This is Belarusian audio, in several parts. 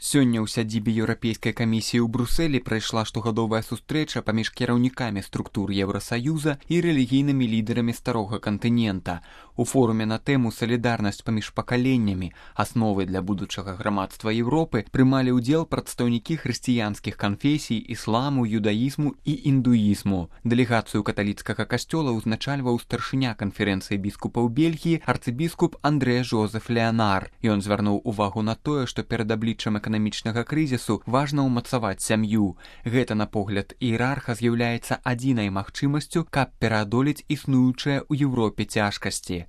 Сёння ў сядзібе Еўрапейскай камісіі ў Брусэлі прайшла штогадовая сустрэча паміж кіраўнікамі структур Еўрасаюза і рэлігійнымі лідарамі старога кантынента. У форуме на тэму «Салідарнасць паміж пакаленнямі. Асновы для будучага грамадства Еўропы» прымалі ўдзел прадстаўнікі хрысціянскіх канфесій, ісламу, юдаізму і індуізму. Дэлегацыю каталіцкага касцёла ўзначальваў старшыня канферэнцыі біскупаў Бельгіі арцыбіскуп Андрэ Жозеф Леанар. Ён звярнуў увагу на тое, што перад абліччам эканамічнага крызісу важна ўмацаваць сям'ю. Гэта, на погляд іерарха, з'яўляецца адзінай магчымасцю, каб пераадолець існуючыя ў Еўропе цяжкасці.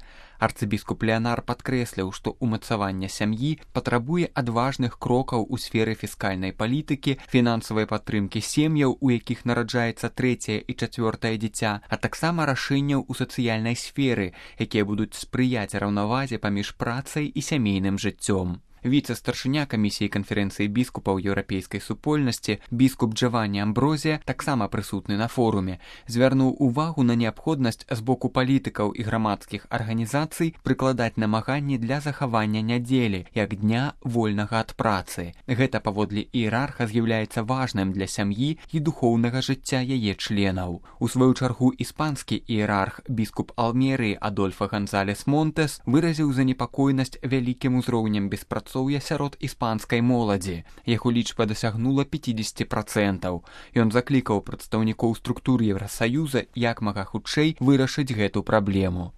Арцыбіскуп Леанар падкрэсліў, што ўмацаванне сям'і патрабуе адважных крокаў у сферы фіскальнай палітыкі, фінансавай падтрымкі сем'яў, у якіх нараджаецца трэцяе і чацвёртае дзіця, а таксама рашэнняў у сацыяльнай сферы, якія будуць спрыяць раўнавазе паміж працай і сямейным жыццём. Віцэ-старшыня камісіі канферэнцыі біскупаў еўрапейскай супольнасці біскуп Джаванні Амброзія, таксама прысутны на форуме, звярнуў увагу на неабходнасць з боку палітыкаў і грамадскіх арганізацый прыкладаць намаганні для захавання нядзелі як дня вольнага ад працы. Гэта, паводле іерарха, з'яўляецца важным для сям'і і духоўнага жыцця яе членаў. У сваю чаргу іспанскі іерарх біскуп Алмерыі Адольфа Гонзалес Монтес выразіў занепакоенасць вялікім узроўнем беспрацоўя сярод іспанскай моладзі. Яго лічба дасягнула 50%. Ён заклікаў прадстаўнікоў структур Еўрасаюза як мага хутчэй вырашыць гэту праблему.